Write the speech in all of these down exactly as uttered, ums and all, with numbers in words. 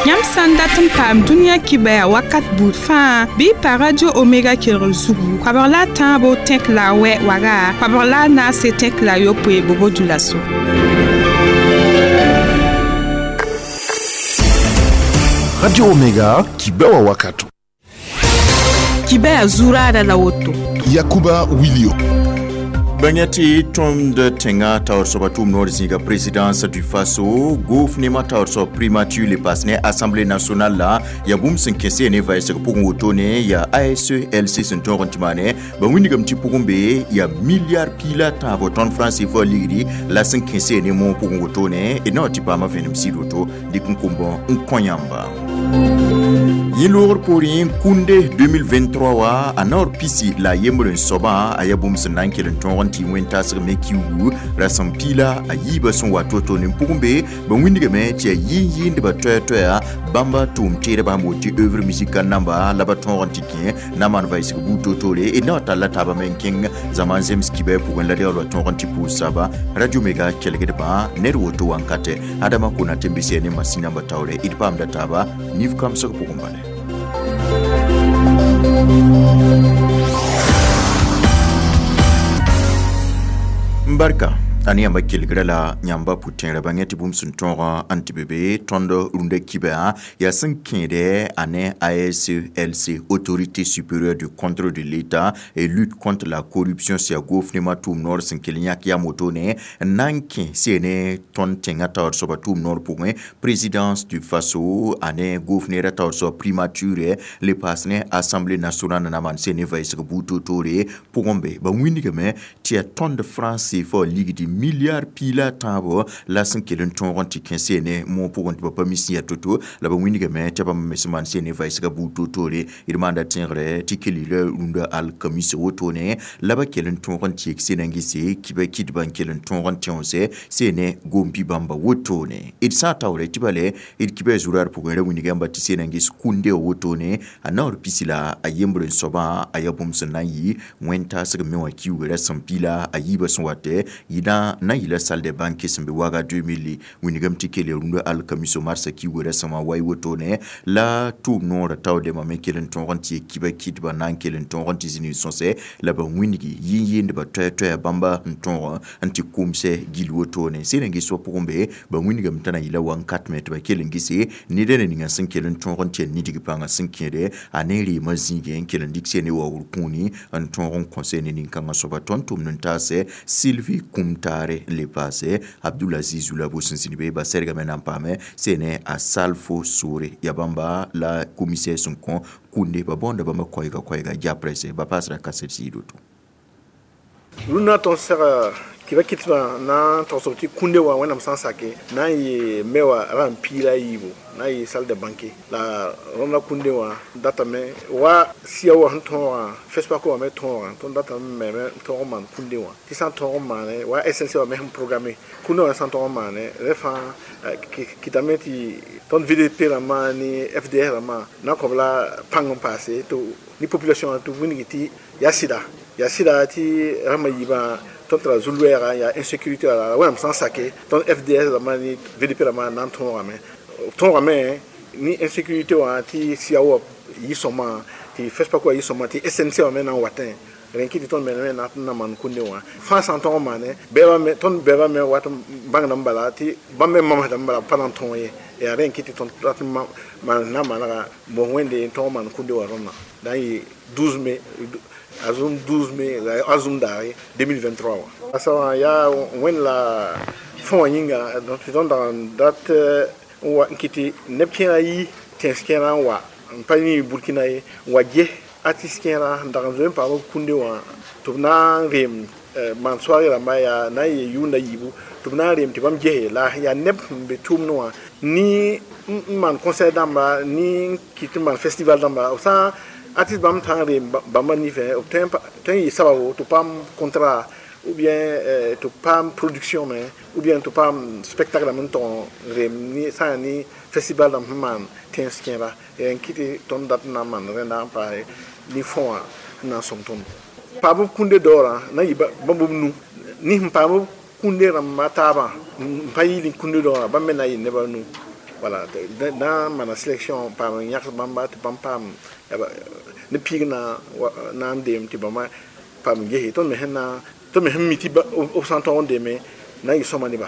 Yãmb sã n dat n paam dũniyã kibɛa wakat buud fãa bɩ y pa Radio Omega kelgr zugu koabg la a tãabo tẽk la a wɛ waga koabg la a naase tẽk la a yopoe bobo dulaso. Radio Omega kibɛa wakato. Kibɛa zuraada la woto. Yakuba Wilio. Bãngã tɩ tõnd tẽngã taoor soaba tʋʋm noor zĩiga présidence du Faso gouvernement taoor soab primature le pass ne Assemblée nationale la yaa bũmb sẽn kẽ ne vɛɛsg pʋgẽ wotone yaa A S E L C sẽn tõog n tɩ maane ba wĩnigame tɩ pʋgẽ be yaa milliard piila tãabo tõnd franc C F A ligdi la sẽn kẽ ne moog pʋgẽ wotone d na wa tɩ paama vẽenem sɩd woto dɩk n kombã n kõ yãmba. Yẽ loogr poorẽ kũnde deux mille vingt-trois wa a naoor pisi la a yembr n soabã a yaa bũmb sẽn na n kell n tõog n tɩ wẽn-tasg me kiugu rasem piila a yiibã sẽn wa to-to ne pʋgẽ be ba wĩnigame tɩ yaa yɩɩn-yɩɩndbã toɛɛ-toɛɛa bãmba tʋʋm teedbã sẽn woto tɩ œuvre musicale namba la ba tõog n tɩ kẽ na maan vɩsg buud to-toore d na wa talla taabã me n kẽng zãma n zems kibɛɛ pʋgẽ la reool wa tõog n tɩ pʋʋs saba Radio Mega kelgdbã ned woto wankatɛ Adama Konate n bisɛ ne masĩn namba taoore d paamda taaba nif kamsg pʋgẽ bale. Barka a ne yãmba kelgra la yãmba pʋ-tẽerã bãngã tɩ bũmb sẽn tõog n tɩ be be tõnd rũndã kibã yaa sẽn kẽede a ne A S E L C, Autorité supérieure du contrôle de l'État et lutte contre la corruption sẽn yaa gouvernement tʋʋm noor sẽn kell n yãk yam wotone n na n kẽ see ne tõnd tẽngã taoor soaba tʋʋm noor pʋgẽ présidence du Faso a ne gouvernement taoor soab primature le paas ne Assemblée nationale na maan see ne vɛɛsg buud toor-toore pʋgẽ be ba wĩnigame tɩ yaa tõnd franc C F A ligdi milliard piila tãabo la sẽn kell n tõog n tɩ kẽ seene moog pʋgẽ tɩ ba pa mi sẽn yaa to-to la ba wĩnigame tɩ bãmb me sẽn maan seene vɛɛsga buud toor-toore d maanda tẽegre tɩ kell la rũndã alkamis wotone la ba kell n tõog n tɩ yek sena n gese kibã kɩdbã n kell n tõog n tẽose seene gompi bãmba wotone d sã n taoore tɩ bale d kibã zuraad pʋgẽ ra wĩnig yãmba tɩ sena n ges kũnde wotone a naoor pisi la a yembr n soabã a yaa bũmb sẽn na n yɩ wẽn-taasg me wã kiuuga rasem piila a yiibã sẽn watɛ yɩ na yɩla salle de banque sẽn be waga deux mille wĩnigame tɩ kell rũndã alkamiso marsã kiuugã rasẽmã wa y wotone la tʋʋm noorã taoodɛmã me kell n tõog n tɩ yek kibã kɩdbã na n kell n tõog n tɩ zĩnig sõsɛ la ba wĩnigi yɩɩn-yɩɩndbã toɛɛ-toɛɛa bãmba n tõog n tɩ kʋmsɛ gill wotone sẽn n ges wa pʋgẽ be ba wĩnigame t'a na yɩla wankat me tɩ ba kell n gese neda na ninga sẽn kell n tõog n tɩ ya nidg pãngã sẽn kẽede a ne reemã zĩigẽ n kell n dɩk ne waoogr kũuni n tõog n kõsɛ ne nin-kãngã soaba tõnd tʋmd n taasɛ Sylvie Kumtare le paase Abdulaziz Zulabo sẽn zĩnd be ba sɛrgame na n paame sene a Salfo Soore ya bãmba la commissaire sẽn kõ kũnde ba bõonda bãmba koɛɛga koɛɛga japrɛse ba paasra kaset sɩɩd woto. Rũndã tõnd sega kibã kɩtbã na n togsb tɩ kũnde wã wẽnnaam sã n sake na n yɩ me wã rãmb piila a yiibu na n yɩ salle de banque la rõndã kũnde wã datame wa sia wã sẽn tõogã FESPACO wã me tõogã tõnd datame me tõog n maan kũnde wã tɩ sã n tõog n maane wa S N C wã me sẽn programme kũnde wã sã n tõog n maane rẽ fãa kɩtame tɩ tõnd V D P rãmbã ne F D S rãmbã na n kõ b la pãng n paase tɩ ni population wã tɩ wĩngi tɩ yaa sɩda yaa sɩda tɩ rãmbã yiibã tõnd tara zu-loɛɛga yaa insécurité wala wẽnnaam sã n sake tõnd F D S rãmbã ne V D P rãmbã na n tõogame tõogame ni insécurité wã tɩ sia wa yɩ sõma tɩ FESPACO wã yɩ sõma tɩ S N C wã me na n watẽ rẽn kɩ tɩ tõnd me na n na maan kũnde wã fãa sã n tõg n maane bɛɛbã tõnd bɛɛbã me wat n bãngdame bala tɩ bãmb me mamsdame bala b pa na n tõog ye yaa rẽn kɩ tɩ tõnd rat n maan na n manega mos wẽnde n tõg n maan kũnde wã rõndã na n yɩ douze mai azum douze mai azum daare deux mille vingt-trois wã asa wã yaa wẽnd la fõ wã yĩnga tɩ tõnd dag n dat n wa n kɩ tɩ neb kẽerã yi tẽns kẽerã n wa n pa yĩ Burkina ye n wa ges artiste kẽerã n dag n zoe n paam b kũnde wã tɩ b na n reem maan soaarɩ rãmba yaa na n yee yʋʋnda yiibu tɩ b na n reem tɩ bãmb gese la yaa neb sẽn be tʋʋmdẽ wã ni n maan concert dãmba ni n kɩt n maan festival dãmba b sã artiste bãmb tã n reem bãmba nifẽ b tõe n yɩ sababu tɩ paam contrat ou bien tɩ paam production me ou bien tɩ paam spectacle rãmb n tog n reem ni sã n yaa ni festival rãmb sẽn maan tẽns kẽera n kɩ tɩ tõnd dat n na n maan rẽnda n paase ni fõ wã n na n sõng tõndo paam b kũnde daoorã na n yɩ bãmb b nu ni sẽn paam b kũnde rãmba taabã n pa yɩɩl kũnde daoorã bãmb me na n yɩ neba nu. Voilà, na n maana sélection paam n yãgs bãmba tɩ bãmb paam ne piig na na n deem tɩ bãmba paam n gese tõnd me sẽn na tõnd me sẽn mi tɩ b sã n tõog n deeme na n yɩ sõma nebã.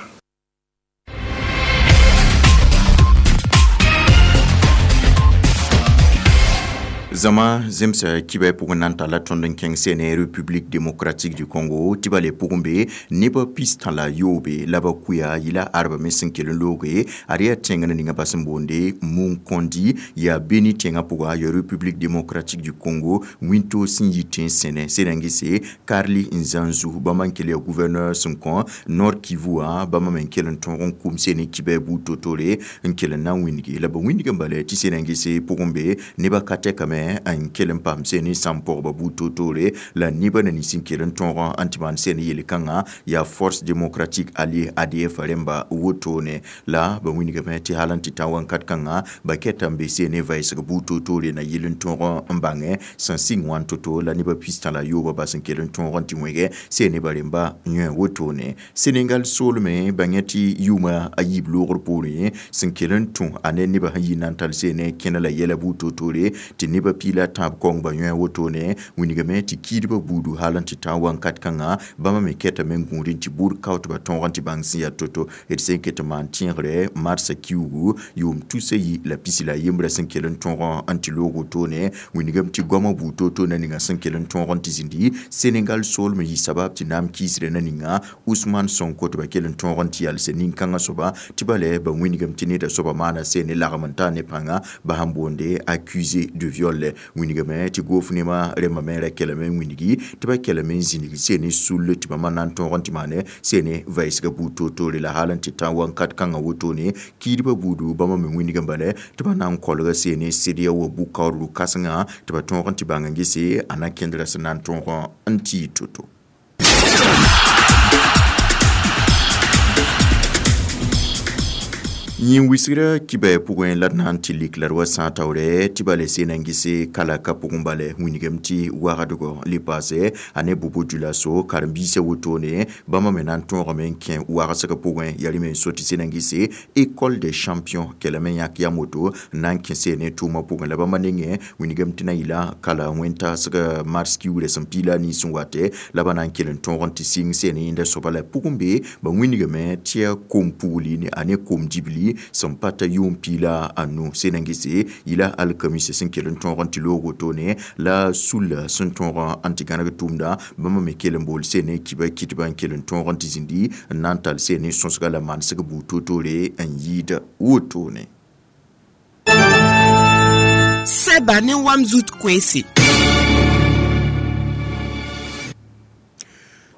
Zama zemsa kibɛ pʋgẽ na n talla tõnd n kẽng sene République démocratique du Congo tɩ ba le pʋgẽ be nebã pis-tã la yoobe la ba kuya yɩla arba me sẽn kell n looge ad yaa tẽngã ninga ba sẽn boonde Munkondi yaa Beni tẽngã pʋga ya République démocratique du Congo wĩntoog sẽn yi tẽn sẽne sẽd n gese Karli Nzanzu bãmba n kell yaa gouverneur sẽn kõ Nord Kivu wã bãmba me n kell n tõog n kum sene kibɛ buud to-tore n kell n na n wĩndge la ba wĩndg n bala tɩ sẽd n gese pʋgẽ be nebã ka tɛkame n kell n paam sene sãn pɔgba buud to-toore la nebã na nins n kell n tõog n tɩ maan sene yel-kãngã yaa Force démocratique alliée A D F rẽmba wotone la ba wĩndgame tɩ hal n tɩ ta wãnkat kãngã ba kɛta n be sene vɛɛsg buud to-toore na yɩl n tõog n bãngẽ sẽn sɩng wãn to-to la nebã pis-tã la yooba bas n kell n tõog n tɩ wẽge sene ba rẽmba yõ wotone. Senegal soolme bãngẽ tɩ yʋʋma a yiib loogr poorẽ sẽn kell n tũ a ne nebã sẽn yi na n tall sene kẽna la yɛla buud to-toore tɩ nebã piila tãab kong ba yõ wotone wĩndgame tɩ kiidbã buudu hal n tɩ tã wãnkat kãngã bãmba me kɛtame n gũudẽ tɩ buud kao tɩ ba tõog n tɩ bãng sẽn yaa to-to d sẽn ket n maan tẽegre marsã kiuugu yʋʋm tusa yi la pisi la yembrã sẽn kell n tõog n tɩ loog wotone wĩndgame tɩ goamã buud to-to na ninga sẽn kell n tõog n tɩ zĩndi Senegal soolm yɩ sabab tɩ naam kiisrã na ninga Ousmane Sonko tɩ ba kell n tõog n tɩ yalse nin-kãngã soaba tɩ ba lɛ ba wĩndgame tɩ neda soaba maana sene lagm n taa ne pãnga ba sẽn boonde accusé de viol wĩndgame tɩ goof nemã rẽmbã me ra kelame n wĩndgi tɩ ba kelame n zĩnig sene sull tɩ bãmba na n tõog n tɩ maane sene vɛɛsga buud to-toore la hal n tɩ tã wãnkat kãngã wotone kiidbã buudu bãmba me wĩndg n bala tɩ ba na n kolga sene sɩdya wa bʋ-kaoodg kãsengã tɩ ba tõog n tɩ bãng n gese a na kẽndrã sẽn na n tõog n tɩ yɩ to-to. Yĩn wisgrã kibɛ pʋgẽ la d na n tɩ lik la d wa sã taoorɛ tɩ ba le seen n gese kalaka pʋgẽ bala wĩndgame tɩ wagdgɔ le paase a ne Bobo Dioulasso karen-biisã wotone bãmba me na n tõogame n kẽ wagsg pʋgẽ yaa rẽ me n so tɩ seen n gese école des champions kelame n yãk yam woto n na n kẽ seene tʋʋmã pʋgẽ la bãmba nengẽ wĩndgame tɩ na yɩla kala wẽn-taasg mars kiugrã sẽn piila nins n watɛ la ba na n kell n tõog n tɩ sɩng seene yẽnda soaba la pʋgẽ be ba wĩndgame tɩ yaa kom pugli a ne kom dibli sẽn pa ta yʋʋm piila a nu sẽn n gese yɩla alkamise sẽn kell n tõog n tɩ loog wotone la sulla sẽn tõog n tɩ gãneg tʋʋmda bãmba me kell n bool sene kiba kitba n kell n tõog n tɩ zĩndi n na n tall sene sõsga la manesg buud to-toore n yɩɩd wotone. Sɛba ne wam zut koeese.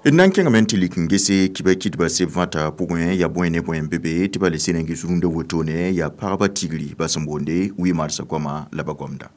D na n kẽngame n tɩ lik n gese kiba kɩdba seb vãta pʋgẽ yaa bõe ne bõe n be be tɩ ba le sẽn n ges rũndã wotone yaa pagba tigri ba sẽn boonde huit marsã goama la ba goamda.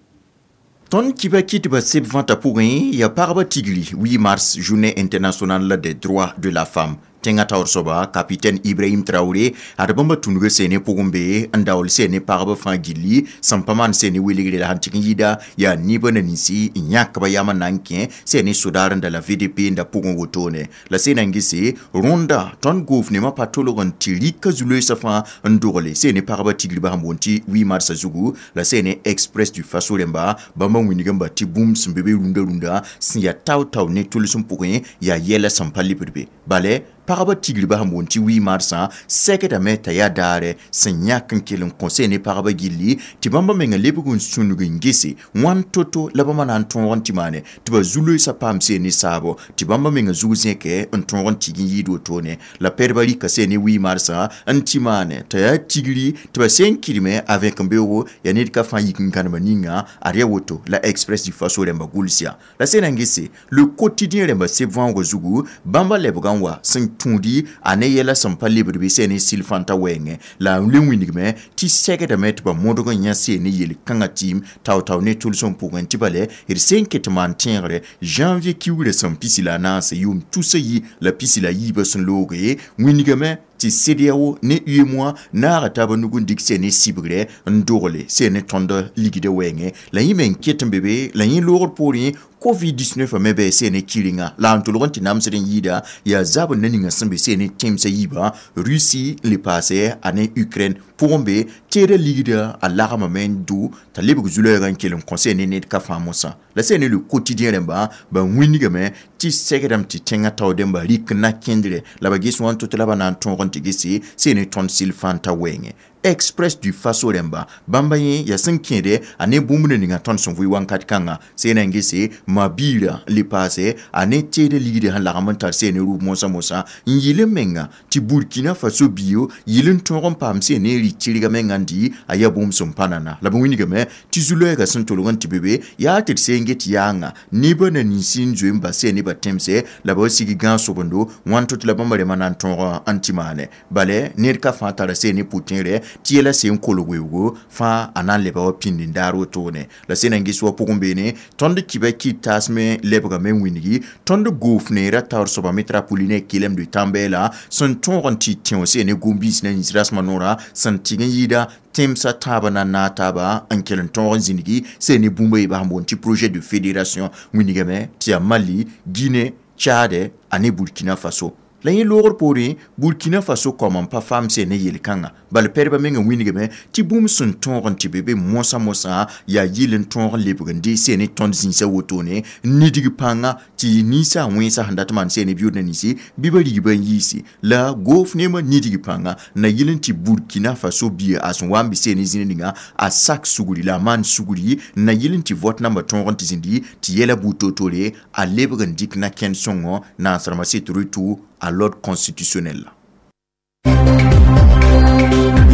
Tõnd kiba kɩdba seb vãta pʋgẽ yaa pagba tigri huit mars journée internationale des droits de la femme tẽngã taoor soaba capitaine Ibrahim Traoré ad bãmba tũnuga seene pʋgẽ be n daool seene pagba fãa gilli sẽn pa maan seene welgre la sẽn tɩg n yɩɩda yaa nebã na ninsi n yãkba yam n na n kẽ seene sodaar n da la V D P n da pʋgẽ wotone la sẽn na n gese rõnda tõnd goof nemã pa tolg n tɩ rɩka zu-loeesã fãa n dogle seene pagba tigri ba sẽn boond tɩ huit marsã zugu la seene Express du Faso rẽmba bãmba wĩndg n ba tɩ bũmb sẽn be be rũndã rũndã sẽn yaa tao-tao ne tʋlsem pʋgẽ yaa yɛla sẽn pa lebd be bala pagba tigri ba sẽn boond tɩ huit marsã sɛkdame t'a yaa daare sẽn yãk n kell n kõ sene pagba gilli tɩ bãmba menga lebg n sũnug n gese wãn to-to la bãmba na n tõog n tɩ maane tɩ ba zu-loeesã paam seene saabo tɩ bãmba menga zug zẽkɛ n tõog n tɩg n yɩɩd wotone la pɛdba rɩka seene huit marsã n tɩ maane t'a yaa tigri tɩ ba sẽn kɩdme a vẽk-n-beoogo yaa ned ka fãa yik n gãnema ninga ad yaa woto la Express du Faso rẽmba gʋls yaa la sẽn na n gese le quotidien rẽmba seb võoogã zugu bãmba lebgã n wa sẽn tũudi a ne yɛla sẽn pa lebd bɩ seene sɩl-fãntã wɛɛngẽ la n le wĩndgame tɩ sɛgdame tɩ ba modg n yã seene yel-kãngã tɩɩm tao-tao ne tʋlsem pʋgẽ tɩ bala d sẽn ket n maan tẽegre janvier kiugrã sẽn pisi la a naase yʋʋm tusa yi la pisi la yiibã sẽn looge wĩndgame tɩ CEDEAO ne UEMOA naaga taaba nug n dɩk seene sɩbgrɛ n dogle seene tõnd ligdã wɛɛngẽ la yẽ me n ket n be be la yẽ loogr poorẽ covid dix-neuf me bɩ seene kɩrenga la n tʋlg n tɩ namsd n yɩɩda yaa zabr na ninga sẽn be seene tẽmsã yiibã Russie n le paase a ne Ukraine pʋgẽ be teeda ligda a lagmame n du t'a lebg zu-loɛɛgã n kell n kõ ne ned ka fãa mosã la sẽn ne le quotidien rẽmba ba wĩnigame tɩ segdame tɩ tẽngã tao dẽmba rɩk na kẽndre la ba ges wã n tʋ tɩ la ba na n tõog n tɩ gese sẽn ne tõnd sɩl fãa n ta wɛɛngẽ. Express du Faso rẽmba bãmba yẽ yaa sẽn kẽede a ne bũmb na ninga tõnd sẽn vʋɩ wãnkat kãnga sẽn na n gese ma-biirã le paase a ne teeda ligdã sẽn lagem n tar sẽn ne rʋʋb mosã mosã n yɩl n menga tɩ Burkina Faso bio yɩl n tõog n paam sẽn ne rɩ tɩrga menga n dɩ a yaa bũmb sẽn pa nana la b wĩnigame tɩ zu-loɛɛgã sẽn tolg n tɩ be be yaa tɩ d seen get yaanga nebã na ninsi n zoe n bas sẽn nebã tẽmse la ba sig gãag sobendo wãn tɩ la bãmba rẽmã na n tõog n tɩ maane bale ned ka fãa tara sẽn ne pʋ-tẽerɛ tɩ yɛla sẽn kolg weoogo fãa a na n leba wa pĩnd n daar wotone la sẽn na n ges wa pʋgẽ beene tõnd kibã kɩt taasme lebgame n wĩngi tõnd goof neerã taoor soaba metropoline kelem de tãn-bɛɛla sẽn tõog n tɩ tẽo sẽn ne gom-biis na yĩs rasmã noorã sẽn tɩg n yɩɩda tẽmsã tãabã na n naag taaba n kell n tõog n zĩnigi sẽn ne bũmb a yeebã sẽn boond tɩ projet de fédération wĩnigame tɩ yaa Mali, Guinée, Tchad ane Burkina Faso. La yẽ loogr poorẽ Burkina Faso kaoom n pa faam sẽn ne yel-kãnga bala pɛdbã meng n wĩnigame tɩ bũmb sẽn tõog n tɩ be be mosã mosã yaa yɩl n tõog n lebg n dee sẽn ne tõnd zĩisã wotone n nidg pãnga tɩ ninsã wẽnsã sẽn dat maan sẽn ne biʋʋd na ninsi bɩ ba rigba n yiisi la goof neemã nidg pãnga na yɩl n tɩ Burkina Faso bia a sẽn wa n be sẽn ne zĩna ninga a sak sugri la a maan sugri na yɩl n tɩ vot nambã tõog n tɩ zĩndi tɩ yɛla buud toor-toore a lebg n dɩk na kẽnd sõngo naasrãmbã set retour à l'ordre constitutionnel.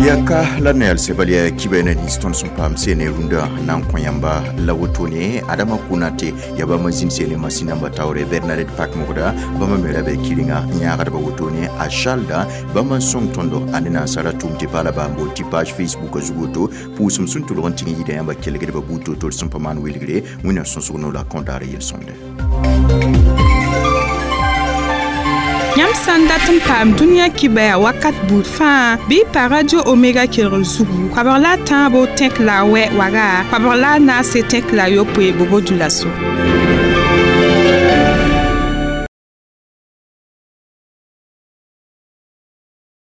Yaka la neel sebal ya kiba na nins tõnd sẽn paam sene rũndã na n kõ yãmba la wotone Adama Konate ya bãmb n zĩnd sene masĩn namba taoore Bernadette Pakmogda bãmb me ra bɩ kɩrenga n yãagdba wotone a Chalda bãmb n sõng tõndo a ne nansara tʋʋm tɩ paala baa n boond tɩ page Facebook zug woto pʋʋsem sẽn tʋlg n tɩg n yɩɩda yãmba kelgdbã buud toor-toor sẽn pa maan welgre wẽnnaam sõsg no la kõdaar yel-sõmde. Yãmb sã n dat n paam dũniyã kibɛa wakat buud fãa bɩ pa Radio Omega kelgr zugu koabg la a tãabo tẽk la a wɛ waga koabg la a naase tẽk la a yopoe bobo dulaso.